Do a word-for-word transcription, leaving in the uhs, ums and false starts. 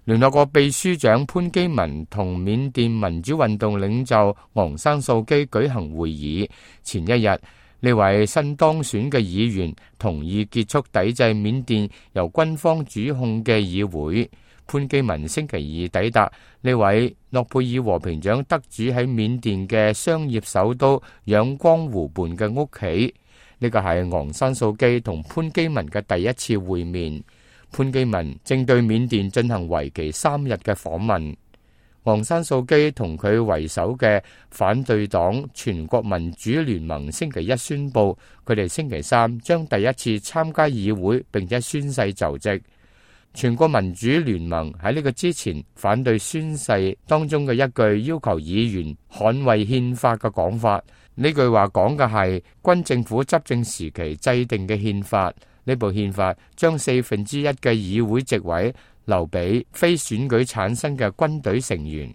聯合國秘書長潘基文同緬甸民主運動領袖昂山素基舉行會議。前一日，呢位新當選嘅議員同意結束抵制緬甸由軍方主控嘅議會。潘基文星期二抵達呢位諾貝爾和平獎得主喺緬甸嘅商業首都仰光湖畔嘅屋企。呢個係昂山素基同潘基文嘅第一次會面。潘基文正對緬甸進行為期三日嘅訪問。昂山素基同佢為首嘅反對黨全國民主聯盟星期一宣布，佢哋星期三將第一次參加議會，並且宣誓就職。全國民主聯盟喺呢個之前反對宣誓當中嘅一句要求議員捍衛憲法嘅講法。呢句話講嘅係軍政府執政時期制定嘅憲法。呢部憲法將四分之一嘅議會席位留俾非選舉產生嘅軍隊成員。